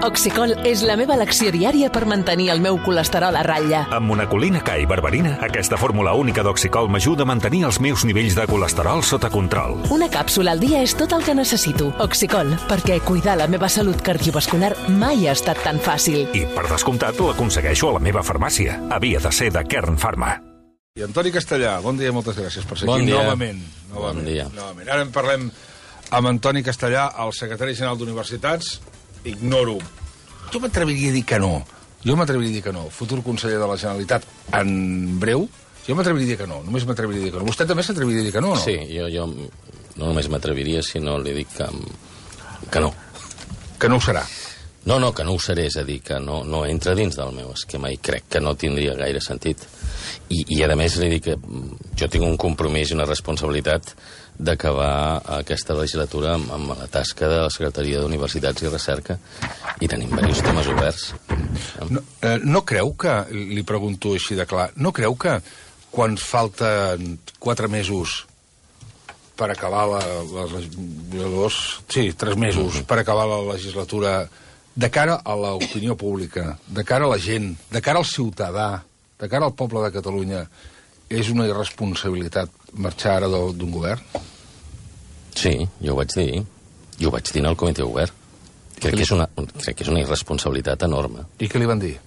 Oxicol és la meva elecció diària per mantenir el meu colesterol a ratlla. Amb monacolina K i berberina, aquesta fórmula única d'Oxicol m'ajuda a mantenir els meus nivells de colesterol sota control. Una càpsula al dia és tot el que necessito. Oxicol, perquè cuidar la meva salut cardiovascular mai ha estat tan fàcil. I, per descomptat, l'aconsegueixo a la meva farmàcia. Havia de ser de Kern Pharma. I Antoni Castellà, bon dia, moltes gràcies per ser bon aquí dia. novament. Bon dia. Ara en parlem amb Antoni Castellà, el secretari general d'Universitats. Ignoro. Jo m'atreviria a dir que no. Futur conseller de la Generalitat en breu. Jo m'atreviria a dir que no. Només m'atreviria a dir que no. Vostè també s'atreviria a dir que no, no? Sí, jo no només m'atreviria, sinó li dic que no. Que no ho serà. No, que no ho seré, és a dir, que no entra dins del meu esquema i crec que no tindria gaire sentit. I a més, li dic que jo tinc un compromís i una responsabilitat d'acabar aquesta legislatura amb la tasca de la Secretaria d'Universitats i Recerca i tenim diversos temes oberts. No creu que, li pregunto així de clar, no creu que quan falten 4 mesos per acabar 3 mesos per acabar la legislatura, de cara a l'opinió pública, de cara a la gent, de cara al ciutadà, de cara al poble de Catalunya, és una irresponsabilitat marxar ara d'un govern? Sí, jo ho vaig dir. Jo ho vaig dir en el comitè obert. Crec que és una irresponsabilitat enorme. I què li van dir?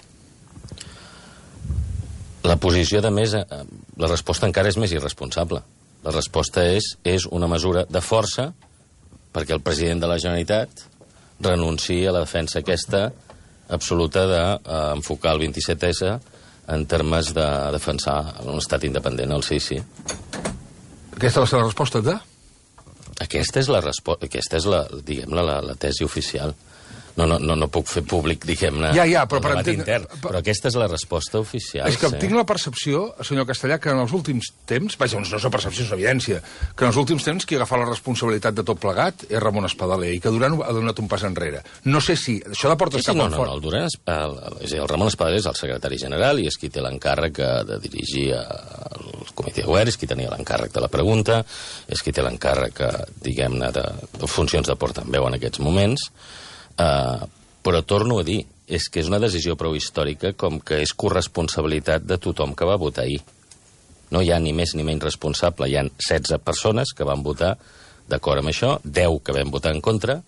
La posició, de més, la resposta encara és més irresponsable. La resposta és una mesura de força perquè el president de la Generalitat renunciï a la defensa aquesta absoluta d'enfocar el 27S en termes de defensar un estat independent, el sí. Aquesta va ser la resposta de? Aquesta és la tesi oficial. No puc fer públic, diguem-ne, ja, però el debat intern, però aquesta és la resposta oficial. És que tinc la percepció, senyor Castellà, que en els últims temps, vaja, no és una percepció, és una evidència, que en els últims temps qui ha agafat la responsabilitat de tot plegat és Ramon Espadaler, i que Duran ha donat un pas enrere. No sé si això de portes cap al fort. El Ramon Espadaler és el secretari general i és qui té l'encàrrec de dirigir el comitè obert, és qui tenia l'encàrrec de la pregunta, és qui té l'encàrrec, diguem-ne, de funcions de portaveu en aquests moments. Però torno a dir, és que és una decisió prou històrica com que és corresponsabilitat de tothom que va votar ahir. No hi ha ni més ni menys responsable. Hi ha 16 persones que van votar d'acord amb això, 10 que vam votar en contra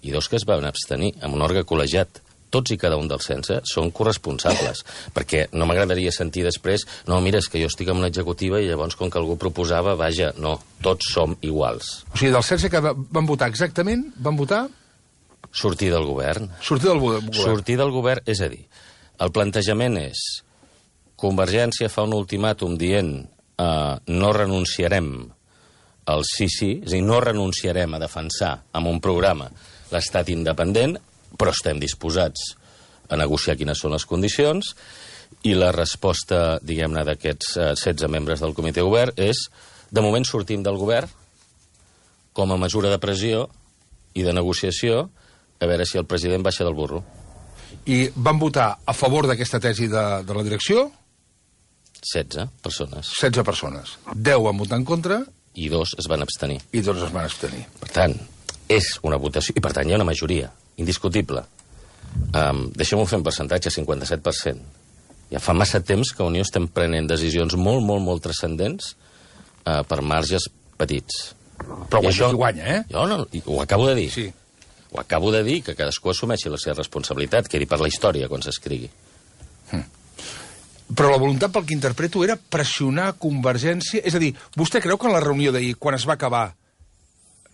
i 2 que es van abstenir amb un òrgan col·legiat. Tots i cada un dels 16 són corresponsables, perquè no m'agradaria sentir després no, mira, és que jo estic en una executiva i llavors com que algú proposava, vaja, no, tots som iguals. O sigui, dels 16 que van votar exactament, van votar... Sortir del govern. Sortir del govern, és a dir, el plantejament és Convergència fa un ultimàtum dient no renunciarem al sí, és a dir, no renunciarem a defensar amb un programa l'estat independent, però estem disposats a negociar quines són les condicions, i la resposta, diguem-ne, d'aquests 16 membres del comitè obert és, de moment sortim del govern com a mesura de pressió i de negociació a veure si el president baixa del burro. I van votar a favor d'aquesta tesi de la direcció? 16 persones. 16 persones. 10 van votar en contra... I 2 es van abstenir. Per tant, és una votació... I per tant hi ha una majoria indiscutible. Deixem-ho fer en percentatge, 57%. Ja fa massa temps que a Unió estem prenent decisions molt, molt, molt transcendents per marges petits. Però això guanya, eh? Jo no, ho acabo de dir. Sí. Ho acabo de dir, que cadascú assumeixi la seva responsabilitat, quedi per la història quan s'escrigui. Però la voluntat, pel que interpreto, era pressionar Convergència... És a dir, vostè creu que en la reunió d'ahir, quan es va acabar,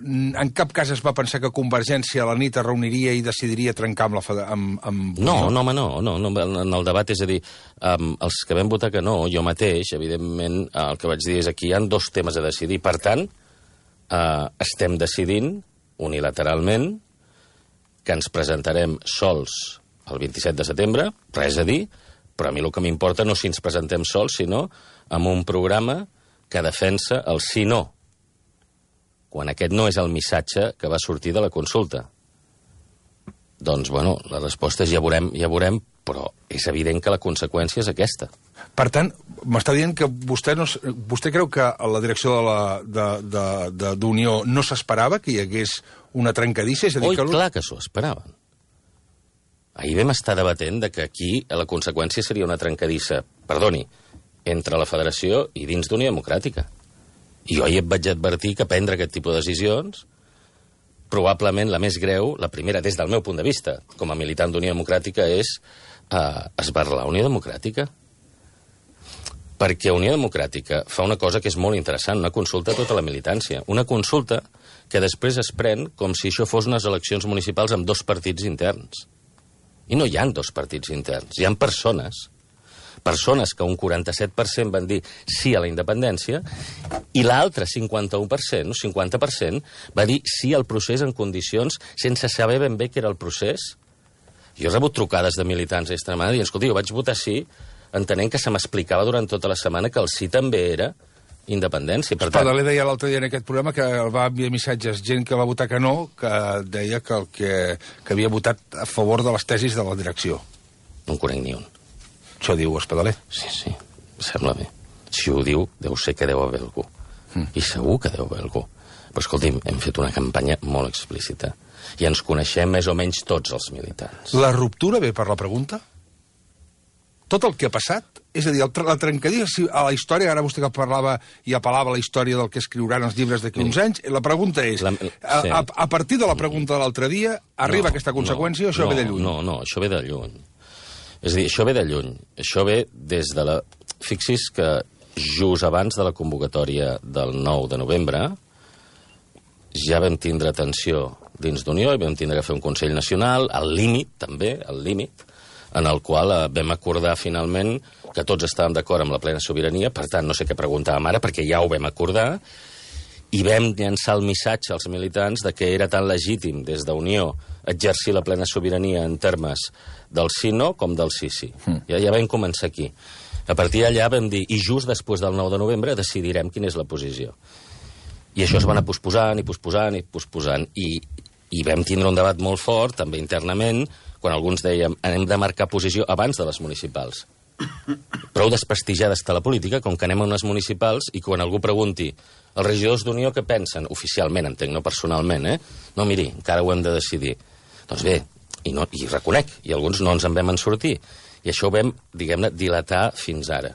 en cap cas es va pensar que Convergència a la nit es reuniria i decidiria trencar amb No, en el debat, és a dir, els que vam votar que no, jo mateix, evidentment, el que vaig dir és que hi ha 2 temes a decidir. Per tant, estem decidint unilateralment que ens presentarem sols el 27 de setembre, res a dir, però a mi el que m'importa no si ens presentem sols, sinó amb un programa que defensa el sí-no, quan aquest no és el missatge que va sortir de la consulta. Doncs, bueno, la resposta és ja veurem, però és evident que la conseqüència és aquesta. Per tant, m'està dient que vostè creu que a la direcció d'Unió no s'esperava que hi hagués una trencadissa? Oi, clar que s'ho esperaven. ahir vam estar debatent de que aquí la conseqüència seria una trencadissa, perdoni, entre la federació i dins d'Unió Democràtica. I jo ahir et vaig advertir que prendre aquest tipus de decisions, probablement la més greu, la primera des del meu punt de vista, com a militant d'Unió Democràtica, és esberlar Unió Democràtica. Perquè Unió Democràtica fa una cosa que és molt interessant, una consulta a tota la militància. Una consulta que després es pren com si això fos unes eleccions municipals amb 2 partits interns. I no hi ha 2 partits interns, hi ha persones que un 47% van dir sí a la independència i l'altre 51%, o 50%, va dir sí al procés en condicions sense saber ben bé què era el procés. Jo he rebut trucades de militants a Extremadura dient, escolta, jo vaig votar sí entenent que se m'explicava durant tota la setmana que el sí també era independència. Per tant... Espadaler deia l'altre dia en aquest programa que el va enviar missatges gent que va votar que no, que deia que havia votat a favor de les tesis de la direcció. No en conec ni un. Això diu Espadaler. Sí, sembla bé. Si ho diu, deu ser que deu haver algú. I segur que deu haver algú. Però escolti'm, hem fet una campanya molt explícita i ens coneixem més o menys tots els militants. La ruptura ve per la pregunta? Tot el que ha passat, és a dir, la trencadissa a la història, ara vostè que parlava i apel·lava a la història del que escriuran els llibres d'aquí uns anys, la pregunta és, a partir de la pregunta de l'altre dia, arriba aquesta conseqüència o això ve de lluny? No, això ve de lluny. És a dir, això ve de lluny. Això ve des de la... Fixi's que just abans de la convocatòria del 9 de novembre ja vam tindre tensió dins d'Unió i vam tindre que fer un Consell Nacional, al límit, també, al límit, en el qual vam acordar finalment que tots estàvem d'acord amb la plena sobirania, per tant, no sé què preguntàvem ara, perquè ja ho vam acordar, i vam llançar el missatge als militants de que era tan legítim des d'Unió exercir la plena sobirania en termes del sí-no com del sí-sí. Ja vam començar aquí. A partir d'allà vam dir, i just després del 9 de novembre decidirem quina és la posició. I això es va anar posposant i posposant i posposant, i vam tindre un debat molt fort, també internament, quan alguns dèiem hem de marcar posició abans de les municipals. Prou desprestigiada està la política, com que anem a unes municipals i quan algú pregunti els regidors d'Unió què pensen, oficialment, entenc, no personalment, no, miri, encara ho hem de decidir. Doncs bé, i reconec, i alguns no ens en vam en sortir. I això ho vam, diguem-ne, dilatar fins ara.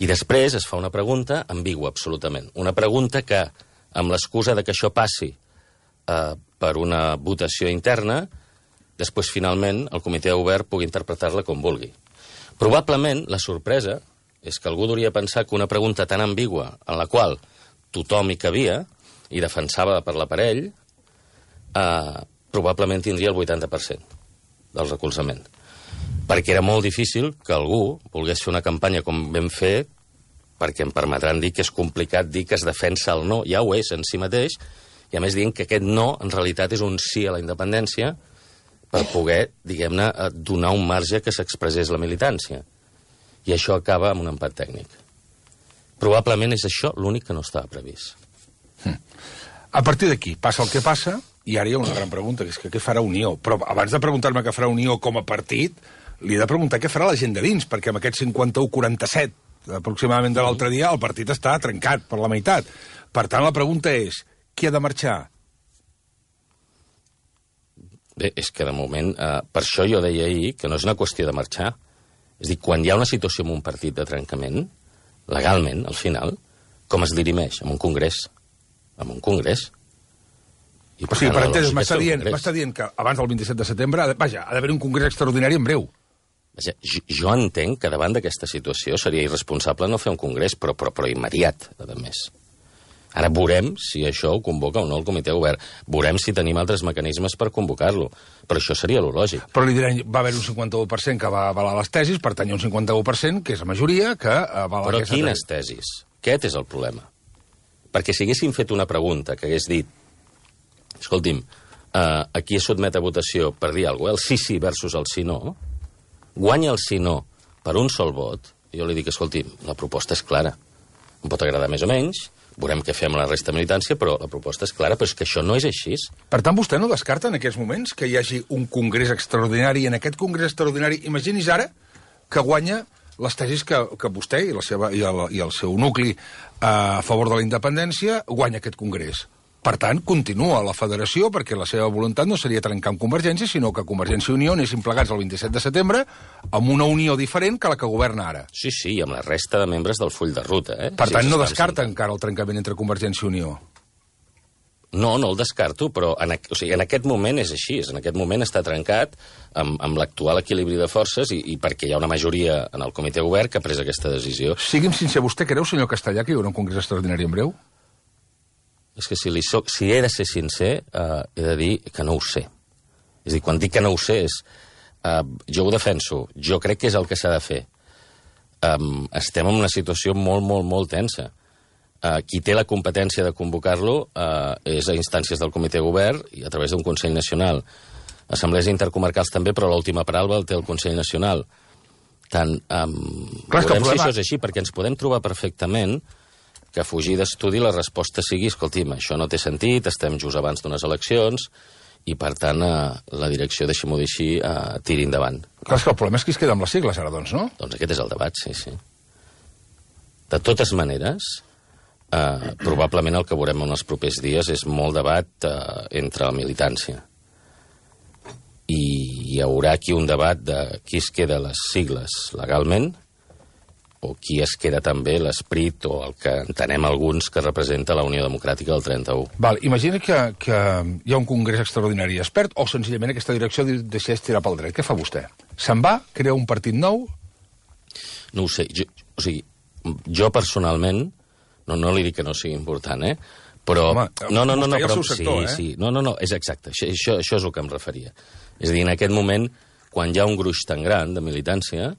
I després es fa una pregunta ambigua, absolutament. Una pregunta que, amb l'excusa de que això passi per una votació interna, després, finalment, el comitè obert pugui interpretar-la com vulgui. Probablement, la sorpresa és que algú hauria pensar que una pregunta tan ambigua, en la qual tothom hi cabia i defensava per l'aparell, probablement tindria el 80% del recolzament. Perquè era molt difícil que algú volgués fer una campanya com vam fer, perquè em permetran dir que és complicat dir que es defensa el no, ja ho és en si mateix, i a més dient que aquest no, en realitat, és un sí a la independència, per poder, diguem-ne, donar un marge que s'expressés la militància. I això acaba amb un empat tècnic. Probablement és això l'únic que no estava previst. A partir d'aquí, passa el que passa, i ara hi ha una gran pregunta, que és que què farà Unió? Però abans de preguntar-me què farà Unió com a partit, li he de preguntar què farà la gent de dins, perquè amb aquest 51-47 aproximadament de l'altre dia, el partit està trencat per la meitat. Per tant, la pregunta és, qui ha de marxar? Bé, és que de moment, per això jo deia ahir que no és una qüestió de marxar. És a dir, quan hi ha una situació en un partit de trencament, legalment, al final, com es dirimeix? En un congrés. En un congrés. I o sigui, per entès, m'està dient que abans del 27 de setembre, vaja, ha d'haver un congrés extraordinari en breu. Vaja, jo entenc que davant d'aquesta situació seria irresponsable no fer un congrés, però immediat, a més. Ara veurem si això ho convoca o no el comitè obert. Veurem si tenim altres mecanismes per convocar-lo. Però això seria lo lògic. Però li diran, va haver un 51% que va avalar les tesis, per tant hi ha un 51%, que és la majoria, que avala aquesta tesi. Però quines tesis? Aquest és el problema. Perquè si haguéssim fet una pregunta que hagués dit, escolti'm, aquí es sotmet a votació per dir alguna cosa, el sí versus el sí no, guanya el sí no per un sol vot, jo li dic, escolti'm, la proposta és clara. Em pot agradar més o menys, veurem què fem a la resta de militància, però la proposta és clara, però és que això no és així. Per tant, vostè no descarta en aquests moments que hi hagi un congrés extraordinari, i en aquest congrés extraordinari, imagini's ara que guanya les tesis que vostè i el seu nucli a favor de la independència guanya aquest congrés. Per tant, continua la federació, perquè la seva voluntat no seria trencar amb Convergència, sinó que Convergència i Unió anessin plegats el 27 de setembre amb una unió diferent que la que governa ara. Sí, i amb la resta de membres del full de ruta. Per tant, no descarta encara el trencament entre Convergència i Unió. No el descarto, però en aquest moment és així. En aquest moment està trencat amb l'actual equilibri de forces i perquè hi ha una majoria en el comitè govern que ha pres aquesta decisió. Sigui'm sincer, vostè creu, senyor Castellà, que hi haurà un congrés extraordinari en breu? És que si he de ser sincer, he de dir que no ho sé. És a dir, quan dic que no ho sé, jo ho defenso. Jo crec que és el que s'ha de fer. Estem en una situació molt, molt, molt tensa. Qui té la competència de convocar-lo és a instàncies del comitè govern i a través d'un Consell Nacional. Assemblees intercomarcals també, però l'última paraula el té el Consell Nacional. Veurem si això és així, perquè ens podem trobar perfectament que a fugir d'estudi la resposta sigui escolti'm, això no té sentit, estem just abans d'unes eleccions i, per tant, la direcció, deixi-m'ho dir així, tiri endavant. Clar, és que el problema és que es queda amb les sigles ara, doncs, no? Doncs aquest és el debat, sí. De totes maneres, probablement el que veurem en els propers dies és molt debat entre la militància. I hi haurà aquí un debat de qui es queda les sigles legalment o qui es queda també l'esperit o el que entenem alguns que representa la Unió Democràtica del 31. Val, imagina que hi ha un congrés extraordinari expert o senzillament aquesta direcció decideix tirar pel dret. Què fa vostè? Se'n va? Crea un partit nou? No ho sé. Jo personalment, no li dic que no sigui important, però... Home, vostè i el seu sector, sí. No, és exacte. Això és el que em referia. És a dir, en aquest moment, quan hi ha un gruix tan gran de militància,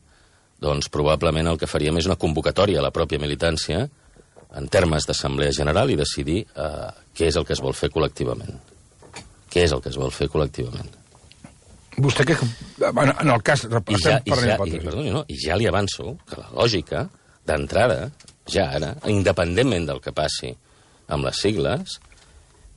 doncs probablement el que faríem és una convocatòria a la pròpia militància en termes d'assemblea general i decidir què és el que es vol fer col·lectivament. Què és el que es vol fer col·lectivament? Vostè que, en el cas... I ja li avanço que la lògica d'entrada, ja ara, independentment del que passi amb les sigles,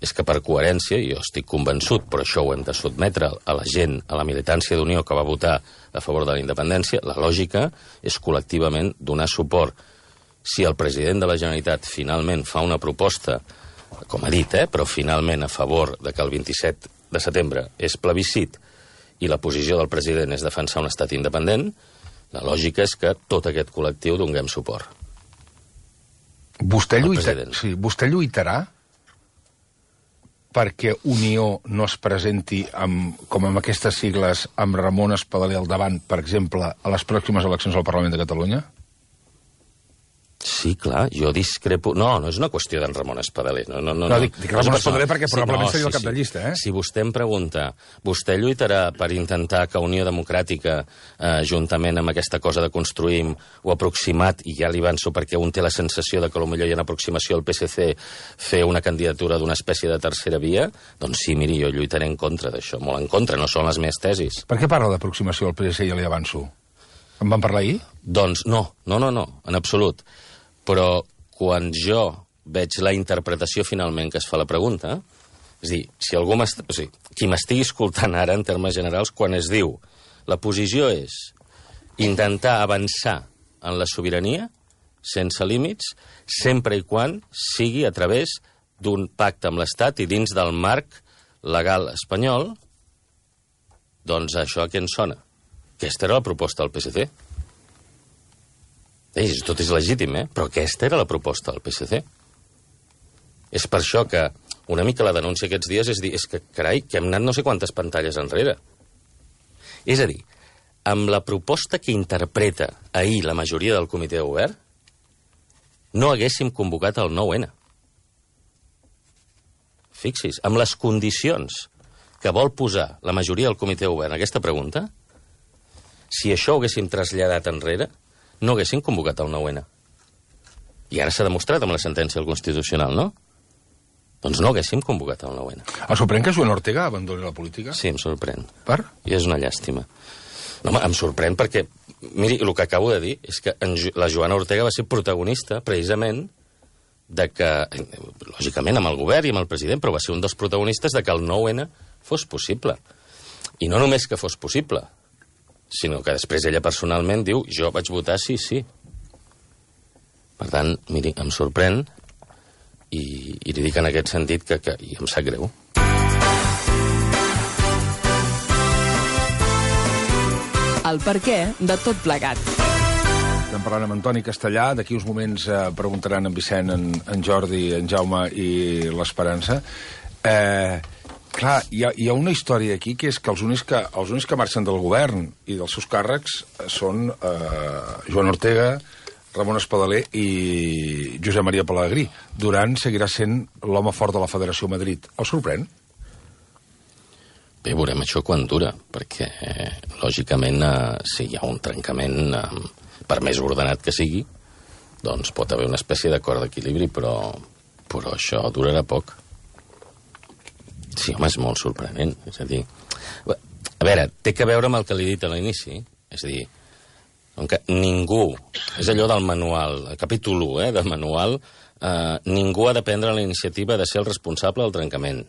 és que per coherència, i jo estic convençut, però això ho hem de sotmetre a la gent, a la militància d'Unió que va votar a favor de la independència, la lògica és col·lectivament donar suport. Si el president de la Generalitat finalment fa una proposta, com ha dit, però finalment a favor de que el 27 de setembre és plebiscit i la posició del president és defensar un estat independent, la lògica és que tot aquest col·lectiu donem suport. Vostè lluitarà perquè Unió no es presenti com amb aquestes sigles amb Ramon Espadaler al davant, per exemple, a les pròximes eleccions al Parlament de Catalunya? Sí, clar, jo discrepo... No és una qüestió d'en Ramon Espadaler. No, dic Ramon Espadaler perquè probablement seria el cap de llista, Si vostè em pregunta, vostè lluitarà per intentar que Unió Democràtica, juntament amb aquesta cosa de construïm o aproximat, i ja li avanço perquè un té la sensació de que potser hi ha una aproximació al PSC, fer una candidatura d'una espècie de tercera via? Doncs sí, miri, jo lluitaré en contra d'això, molt en contra, no són les meves tesis. Per què parla d'aproximació al PSC, ja li avanço? En van parlar ahir? Doncs no, en absolut. Però quan jo veig la interpretació finalment que es fa la pregunta, és a dir, si algú qui m'estigui escoltant ara en termes generals, quan es diu la posició és intentar avançar en la sobirania sense límits, sempre i quan sigui a través d'un pacte amb l'Estat i dins del marc legal espanyol, doncs això a què ens sona? Aquesta era la proposta del PSC. Tot és legítim, però aquesta era la proposta del PSC. És per això que una mica la denúncia aquests dies és dir, és que, carai, que hem anat no sé quantes pantalles enrere. És a dir, amb la proposta que interpreta ahir la majoria del comitè de govern, no haguéssim convocat el 9-N. Fixis, amb les condicions que vol posar la majoria del comitè de govern a aquesta pregunta, si això ho haguéssim traslladat enrere, no haguessin convocat el 9-N. I ara s'ha demostrat amb la sentència del Constitucional, no? Doncs no haguéssim convocat el 9-N. El sorprèn que Joan Ortega abandoni la política? Sí, em sorprèn. Per? I és una llàstima. No, home, em sorprèn perquè, miri, el que acabo de dir és que la Joana Ortega va ser protagonista, precisament, de que, lògicament, amb el govern i amb el president, però va ser un dels protagonistes de que el 9-N fos possible. I no només que fos possible, sinó que després ella personalment diu jo vaig votar sí. Per tant, miri, em sorprèn i li dic en aquest sentit que i em sap greu. El perquè de tot plegat. Estem parlant amb Antoni Castellà. D'aquí uns moments preguntaran en Vicent, en Jordi, en Jaume i l'Esperança. Clar, hi ha una història aquí, que és que els únics que marxen del govern i dels seus càrrecs són Joan Ortega, Ramon Espadaler i Josep Maria Pelegrí. Duran seguirà sent l'home fort de la Federació Madrid. El sorprèn? Bé, veurem això quan dura, perquè, lògicament, si hi ha un trencament, per més ordenat que sigui, doncs pot haver una espècie d'acord d'equilibri, però això durarà poc. Sí, home, és molt sorprenent. És a dir, a veure, té que veure amb el que li he dit a l'inici. És a dir, ningú, és allò del manual, el capítol 1 del manual, ningú ha de prendre la iniciativa de ser el responsable del trencament.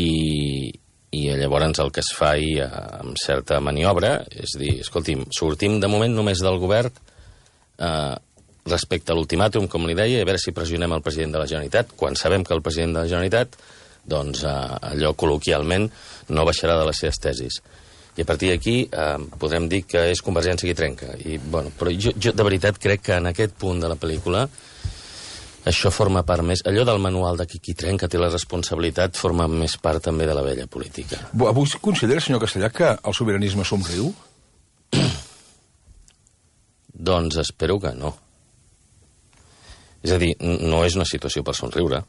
I llavors el que es fa amb certa maniobra és dir, escolti'm, sortim de moment només del govern respecte a l'ultimàtum, com li deia, i a veure si pressionem el president de la Generalitat, quan sabem que el president de la Generalitat, doncs allò col·loquialment no baixarà de les seves tesis. I a partir d'aquí podrem dir que és Convergència qui trenca. Però jo de veritat crec que en aquest punt de la pel·lícula això forma part més... Allò del manual de qui trenca té la responsabilitat forma més part també de la vella política. Avui considera, senyor Castellà, que el sobiranisme somriu? Doncs espero que no. És a dir, no és una situació per somriure.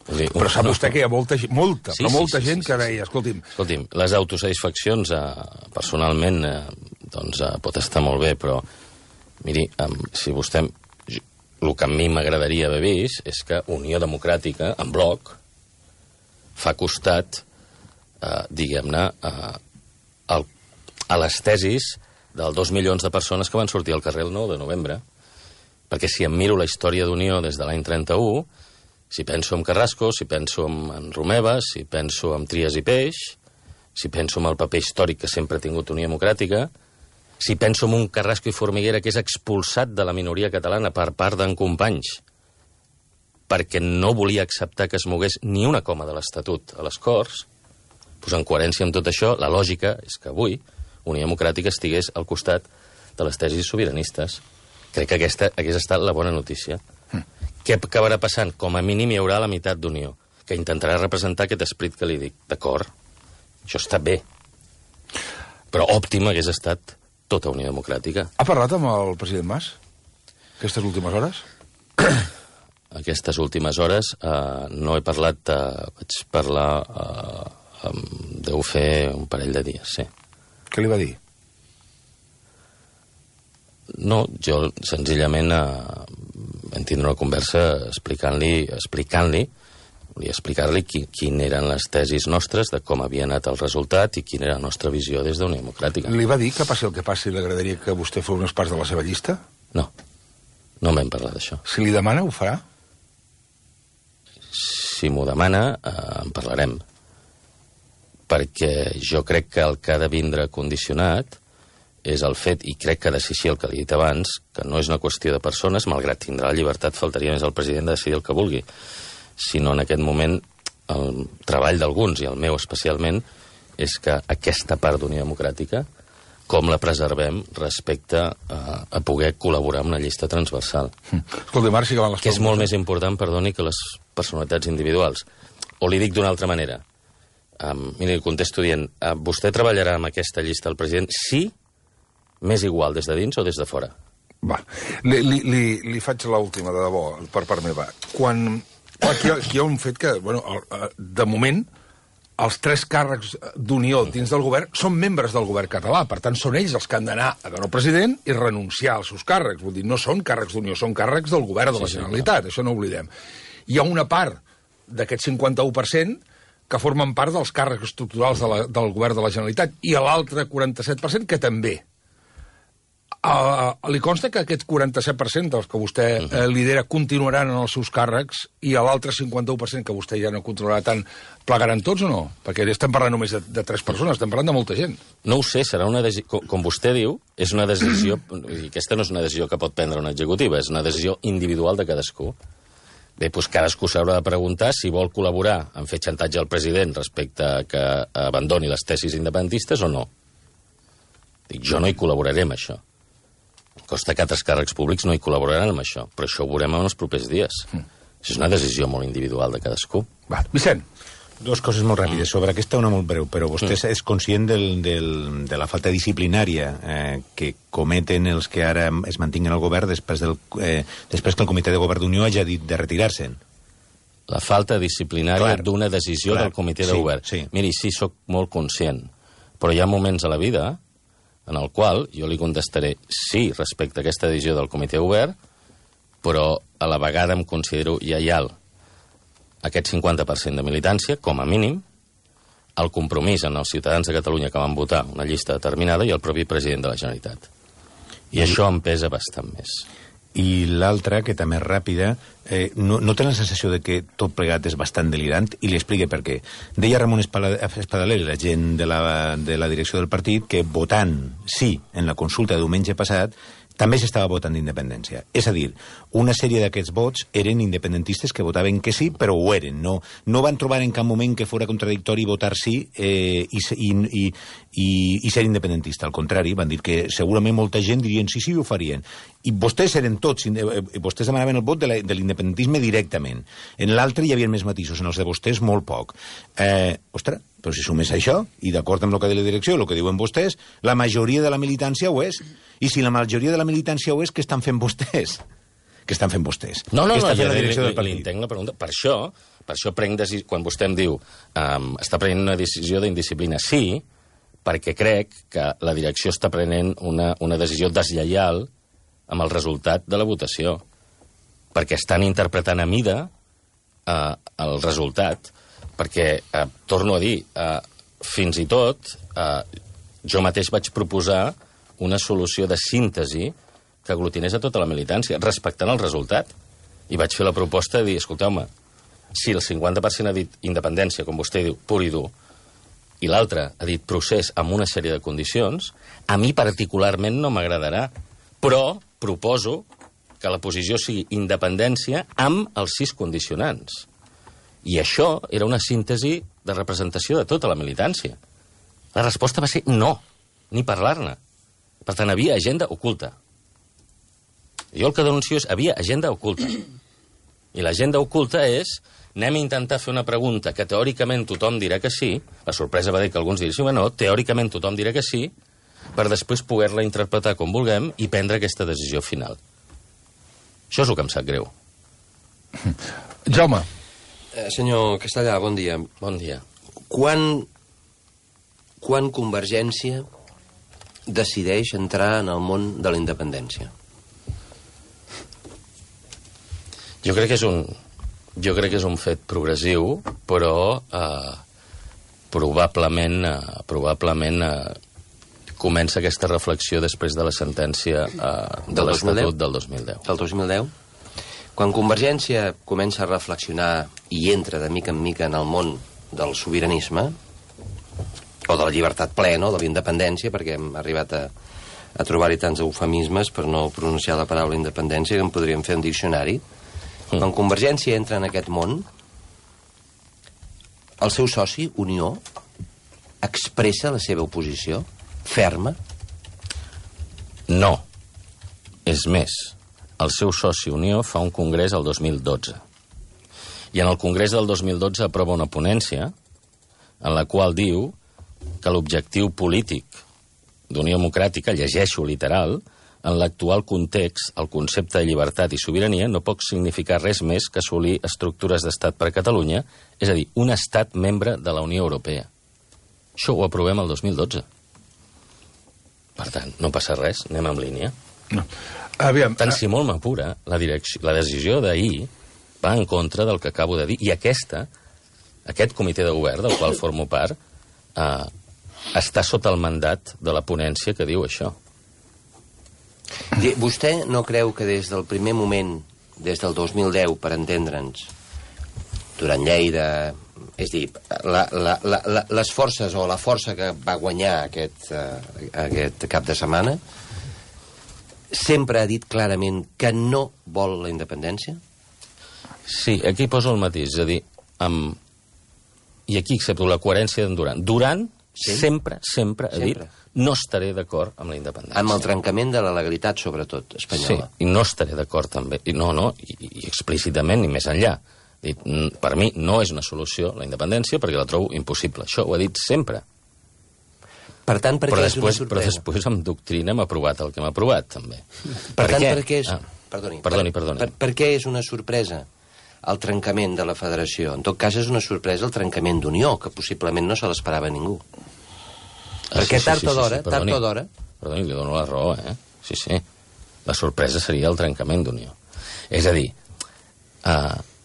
Dir, però sap vostè que hi ha molta gent que deia, escolti'm... Escolti'm, les autosatisfaccions, personalment, doncs pot estar molt bé, però, miri, si vostè... El que a mi m'agradaria haver vist és que Unió Democràtica, en bloc, fa costat, diguem-ne, a les tesis dels 2 milions de persones que van sortir al carrer el 9 de novembre. Perquè si em miro la història d'Unió des de l'any 31, si penso en Carrasco, si penso en Romeva, si penso en Trias i Peix, si penso en el paper històric que sempre ha tingut Unió Democràtica, si penso en un Carrasco i Formiguera que és expulsat de la minoria catalana per part d'en Companys perquè no volia acceptar que es mogués ni una coma de l'Estatut a les Corts, doncs en coherència amb tot això, la lògica és que avui Unió Democràtica estigués al costat de les tesis sobiranistes. Crec que aquesta hagués estat la bona notícia. Què acabarà passant? Com a mínim hi haurà la meitat d'Unió, que intentarà representar aquest esperit que li dic. D'acord, això està bé. Però òptim hagués estat tota Unió Democràtica. Ha parlat amb el president Mas aquestes últimes hores? Aquestes últimes hores no he parlat, vaig parlar, deu fer un parell de dies, sí. Què li va dir? No, jo senzillament vam tindre una conversa explicant-li volia explicar-li quin eren les tesis nostres de com havia anat el resultat i quina era la nostra visió des d'Unió Democràtica. Li va dir que passi el que passi li agradaria que vostè fos unes parts de la seva llista? No vam parlar d'això. Si li demana, ho farà? Si m'ho demana, en parlarem. Perquè jo crec que el que ha de vindre condicionat és el fet, i crec que ha de ser així el que li he dit abans, que no és una qüestió de persones, malgrat tindrà la llibertat, faltaria més al president de decidir el que vulgui, sinó en aquest moment el treball d'alguns, i el meu especialment, és que aquesta part d'Unió Democràtica, com la preservem respecte a poder col·laborar amb una llista transversal. Escolta, Marc, sí que van les que és molt més important, perdoni, que les personalitats individuals. O li dic d'una altra manera. Mira, li contesto dient, vostè treballarà amb aquesta llista del president? Sí, m'és igual des de dins o des de fora. Va, li faig l'última, de debò, per part meva. Aquí hi ha un fet que, de moment, els 3 càrrecs d'Unió dins del govern són membres del govern català. Per tant, són ells els que han d'anar a veure el president i renunciar als seus càrrecs. Vull dir, no són càrrecs d'Unió, són càrrecs del govern de la Generalitat. Això no ho oblidem. Hi ha una part d'aquest 51% que formen part dels càrrecs estructurals del govern de la Generalitat i l'altre 47% que també. Li consta que aquest 47% dels que vostè lidera continuaran en els seus càrrecs i l'altre 51% que vostè ja no controlarà tant plegaran tots o no? Perquè estem parlant només de 3 persones, estem parlant de molta gent. No ho sé, serà una decisió... Com vostè diu, és una decisió... Aquesta no és una decisió que pot prendre una executiva, és una decisió individual de cadascú. Bé, doncs cadascú s'haurà de preguntar si vol col·laborar en fer xantatge al president respecte a que abandoni les tesis independentistes o no. Dic, jo no hi col·laboraré amb això. Costa que altres càrrecs públics no hi col·laboraran amb això, però això ho veurem en els propers dies. Això és una decisió molt individual de cadascú. Va, Vicent. Dos coses molt ràpides. Sobre aquesta, una molt breu, però vostè és conscient de la falta disciplinària que cometen els que ara es mantinguen al govern després que el comitè de govern d'Unió hagi dit de retirar-se'n? La falta disciplinària d'una decisió del comitè de govern. Sí. Miri, sí, sóc molt conscient, però hi ha moments a la vida en el qual jo li contestaré sí respecte a aquesta decisió del comitè de govern, però a la vegada em considero lleial aquest 50% de militància, com a mínim, el compromís en els ciutadans de Catalunya que van votar una llista determinada i el propi president de la Generalitat. I això em pesa bastant més. I l'altra, que també és ràpida, no té la sensació de que tot plegat és bastant delirant, i li explique per què. Deia Ramon Espadaler, la gent de la direcció del partit, que votant sí en la consulta de diumenge passat també s'estava votant d'independència. És a dir, una sèrie d'aquests vots eren independentistes que votaven que sí, però ho eren. No van trobar en cap moment que fora contradictori votar sí i ser independentista. Al contrari, van dir que segurament molta gent dirien sí, ho farien. I vostès eren tots, vostès demanaven el vot de l'independentisme directament. En l'altre hi havia més matisos, en els de vostès molt poc. Ostres, però si sumés això, i d'acord amb el que diu la direcció, el que diuen vostès, la majoria de la militància ho és. I si la majoria de la militància ho és, què estan fent vostès? Què estan fent vostès? No, l'entenc la pregunta. Per això prenc decisió, quan vostè em diu està prenent una decisió d'indisciplina, sí, perquè crec que la direcció està prenent una decisió deslleial amb el resultat de la votació, perquè estan interpretant a mida el resultat, perquè, torno a dir, fins i tot jo mateix vaig proposar una solució de síntesi que aglutinés a tota la militància, respectant el resultat. I vaig fer la proposta de dir, escolteu-me, si el 50% ha dit independència, com vostè diu, pur i dur, i l'altre ha dit procés amb una sèrie de condicions, a mi particularment no m'agradarà, però proposo que la posició sigui independència amb els 6 condicionants. I això era una síntesi de representació de tota la militància. La resposta va ser no, ni parlar-ne. Per tant, havia agenda oculta. Jo el que denuncio és havia agenda oculta. I l'agenda oculta és anem a intentar fer una pregunta que teòricament tothom dirà que sí, la sorpresa va dir que alguns dirissin que no, teòricament tothom dirà que sí, per després poder-la interpretar com vulguem i prendre aquesta decisió final. Això és el que em sap greu. Jaume. Senyor Castellà, bon dia. Bon dia. Quan Convergència decideix entrar en el món de la independència? Jo crec que és un fet progressiu, però probablement comença aquesta reflexió després de la sentència de l'Estatut del 2010. Del 2010? Quan Convergència comença a reflexionar i entra de mica en mica en el món del sobiranisme, o de la llibertat plena, o de la independència, perquè hem arribat a trobar-hi tants eufemismes per no pronunciar la paraula independència que en podríem fer un diccionari. Quan Convergència entra en aquest món, el seu soci, Unió, expressa la seva oposició ferma? No. És més, el seu soci Unió fa un congrés el 2012. I en el congrés del 2012 aprova una ponència en la qual diu que l'objectiu polític d'Unió Democràtica, llegeixo literal, en l'actual context, el concepte de llibertat i sobirania no pot significar res més que assolir estructures d'estat per a Catalunya, és a dir, un estat membre de la Unió Europea. Això ho aprovem el 2012. Per tant, no passa res, anem en línia. No. Aviam, tant si molt m'apura, la decisió d'ahir va en contra del que acabo de dir, i aquest comitè de govern, del qual formo part, està sota el mandat de la ponència que diu això. Vostè no creu que des del primer moment, des del 2010, per entendre'ns, durant Lleida, és dir, les forces o la força que va guanyar aquest cap de setmana, sempre ha dit clarament que no vol la independència? Sí, aquí poso el matís, és a dir, i aquí accepto la coherència d'en Duran. Duran sempre ha dit no estaré d'acord amb la independència. Amb el trencament de la legalitat, sobretot, espanyola. Sí, i no estaré d'acord també. I explícitament, ni més enllà. Per mi no és una solució la independència perquè la trobo impossible. Això ho ha dit sempre. Per tant, per què és una sorpresa? Però després amb doctrina hem aprovat el que hem aprovat, també. Per tant, per què és... Perdoni. Per què és una sorpresa el trencament de la federació? En tot cas, és una sorpresa el trencament d'Unió, que possiblement no se l'esperava ningú. Perquè tard o d'hora... Perdoni, li dono la raó, Sí. La sorpresa seria el trencament d'Unió. És a dir,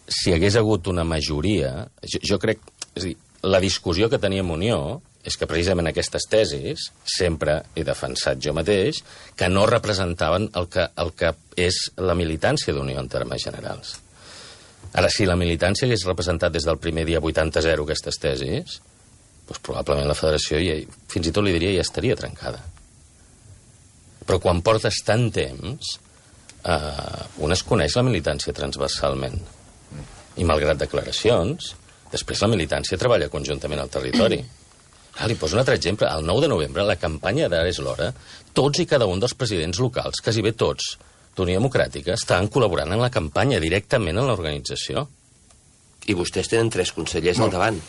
si hagués hagut una majoria... Jo crec... És a dir, la discussió que teníem Unió és que precisament aquestes tesis sempre he defensat jo mateix que no representaven el que és la militància d'Unió en termes generals. Ara, si la militància hagués representat des del primer dia 80-0 aquestes tesis, doncs probablement la federació, fins i tot li diria, ja estaria trencada. Però quan portes tant temps, un es coneix la militància transversalment. I malgrat declaracions, després la militància treballa conjuntament al territori. Li poso un altre exemple. El 9 de novembre, la campanya d'Ara és l'hora, tots i cada un dels presidents locals, quasi bé tots, d'Unió Democràtica, estaven col·laborant en la campanya, directament en l'organització. I vostès tenen 3 consellers al davant.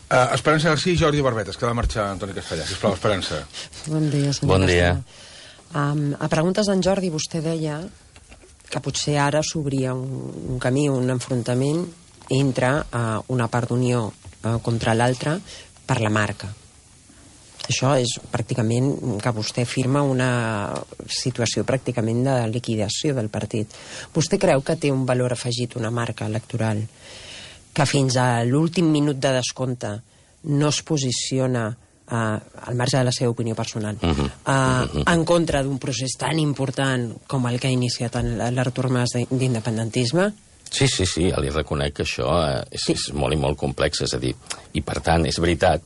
Esperança García i Jordi Barbetes, que ha de marxar Antoni Castellà. Sisplau, Esperança. Bon dia, senyor Bon dia. A preguntes d'en Jordi, vostè deia que potser ara s'obria un camí, un enfrontament entre una part d'Unió contra l'altra per la marca. Això és pràcticament que vostè firma una situació pràcticament de liquidació del partit. Vostè creu que té un valor afegit, una marca electoral, que fins a l'últim minut de descompte no es posiciona al marge de la seva opinió personal en contra d'un procés tan important com el que ha iniciat l'Artur Mas d'independentisme? Sí, ja li reconec que això és molt i molt complex, és a dir, i per tant és veritat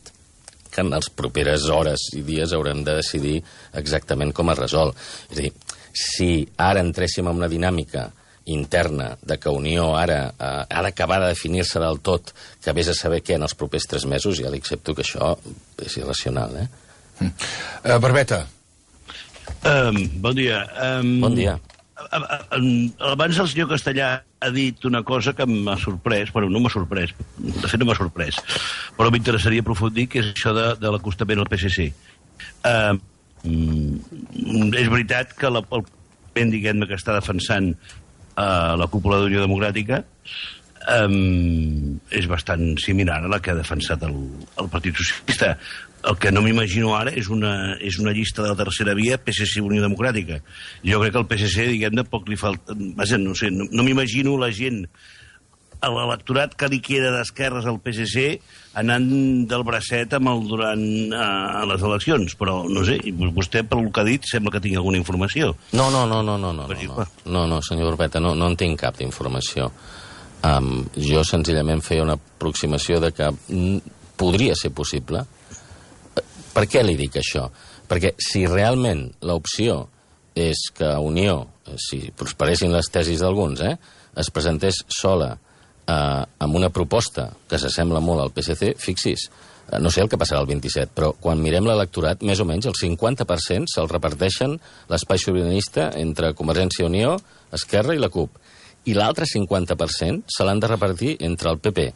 que en les properes hores i dies haurem de decidir exactament com es resol. És a dir, si ara entréssim en una dinàmica interna de que Unió ara ha d'acabar de definir-se del tot, que vés a saber què en els propers 3 mesos, ja li accepto que això és irracional, Barbeta. Bon dia. Bon dia. Abans el senyor Castellà ha dit una cosa que m'ha sorprès, bueno, no m'ha sorprès, de fet no m'ha sorprès, però m'interessaria aprofundir, que és això de l'acostament al PSC. És veritat que el moviment, diguem-ne, que està defensant la cúpula d'Unió Democràtica és bastant similar a la que ha defensat el Partit Socialista. El que no m'imagino ara és una llista de la tercera via PSC-Unió Democràtica. Jo crec que al PSC, diguem-ne, poc li falta... Vaja, no sé, no m'imagino la gent, l'electorat que li queda d'esquerres al PSC anant del bracet amb el Duran a les eleccions, però no sé, vostè, pel que ha dit, sembla que tingui alguna informació. No, senyor Barbeta, no en tinc cap d'informació. Jo senzillament feia una aproximació de que podria ser possible. Per què li dic això? Perquè si realment l'opció és que Unió, si prosperessin les tesis d'alguns, es presentés sola amb una proposta que s'assembla molt al PSC, fixi's, no sé el que passarà el 27, però quan mirem l'electorat, més o menys el 50% se'l reparteixen l'espai sobiranista entre Convergència i Unió, Esquerra i la CUP. I l'altre 50% se l'han de repartir entre el PP,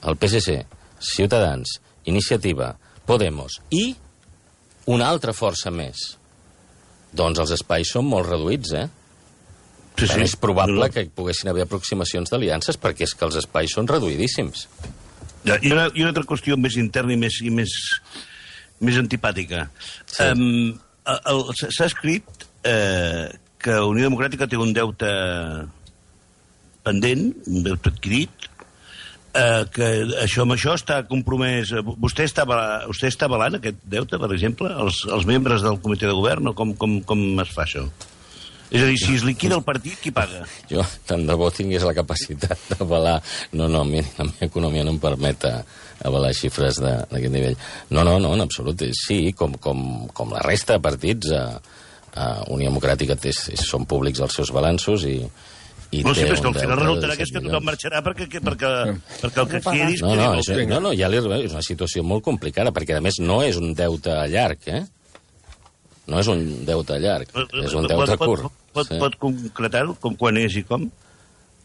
el PSC, Ciutadans, Iniciativa, Podemos i una altra força més. Doncs els espais són molt reduïts, Sí. És probable que poguessin haver aproximacions d'aliances perquè és que els espais són reduïdíssims. I una altra qüestió més interna i més antipàtica. Sí. S'ha escrit que Unió Democràtica té un deute pendent, un deute adquirit, que amb això està compromès... Vostè està avalant aquest deute, per exemple, els membres del comitè de govern, o com es fa això? És a dir, si es liquida el partit, qui paga? Jo, tant de bo tingués la capacitat d'avalar... No, a mi la meva economia no em permet avalar xifres d'aquest nivell. No, en absolut. Sí, com la resta de partits, Unió Democràtica són públics els seus balanços i No, sí, té però és que un al final deute de resultarà que és que 17 tothom milions. marxarà perquè el que quedi... No, ja és una situació molt complicada, perquè, a més, no és un deute llarg, eh? No és un deute llarg, és un deute curt. Pot concretar-ho? Com quan és i com?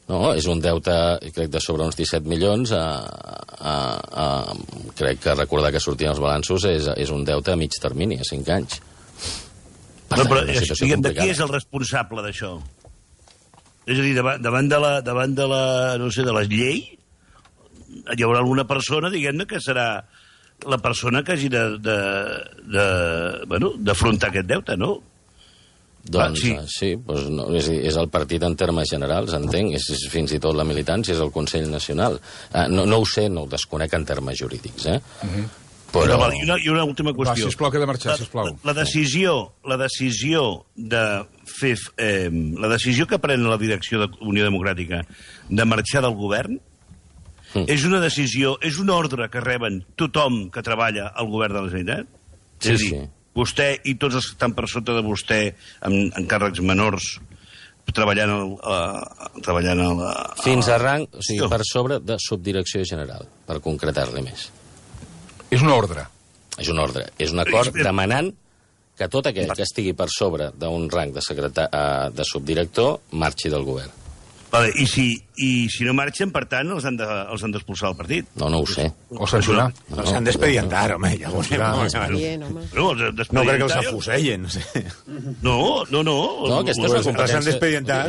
No, és un deute, crec, de sobre uns 17 milions. Crec que recordar que sortien els balanços és un deute a mig termini, a 5 anys. Per tant, una situació De complicada. qui és el responsable d'això? És a dir, davant de la, no sé, de la llei, hi haurà alguna persona, diguem-ne, que serà la persona que hagi d'afrontar aquest deute, no? Doncs sí, doncs no, és el partit en termes generals, entenc, és fins i tot la militància, és el Consell Nacional. No ho sé, no ho desconec en termes jurídics, Però... I una última qüestió. Va, sisplau, que he de marxar, sisplau. La decisió de fer... la decisió que pren la direcció de Unió Democràtica de marxar del govern és una decisió, és un ordre que reben tothom que treballa al govern de la Generalitat? Sí, és a dir, vostè i tots els que estan per sota de vostè en càrrecs menors treballant fins a rang, o sigui, per sobre de subdirecció general, per concretar-li més. És una ordre. És un ordre. És un acord demanant que tot aquell que estigui per sobre d'un rang de subdirector marxi del govern. Vale, i si no marxen, per tant, els han d'expulsar del partit? No ho sé. O sancionar. S'han d'expedientar, home, llavors. No crec que els afusellen, no sé. No. No, aquesta és una competència.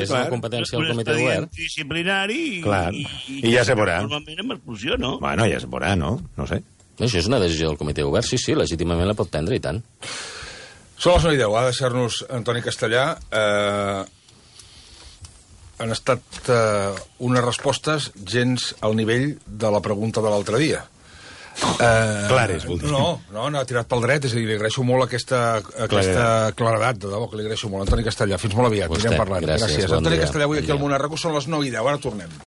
És una competència del comitè de govern. Disciplinari i ja se veurà. Normalment amb expulsió, no? Bueno, ja se veurà, no? No sé. Això és una decisió del comitè de govern, sí, legítimament la pot prendre, i tant. Són les 9:10, ha de deixar-nos Antoni Castellà. Han estat unes respostes gens al nivell de la pregunta de l'altre dia. Clares, vol dir. No, n'ha tirat pel dret, és a dir, li agraeixo molt aquesta claredat, de debò, que li agraeixo molt. Antoni Castellà, fins molt aviat, anirem parlant. Gràcies. Antoni Castellà, avui aquí al Món Arracó, són les 9:10, ara tornem.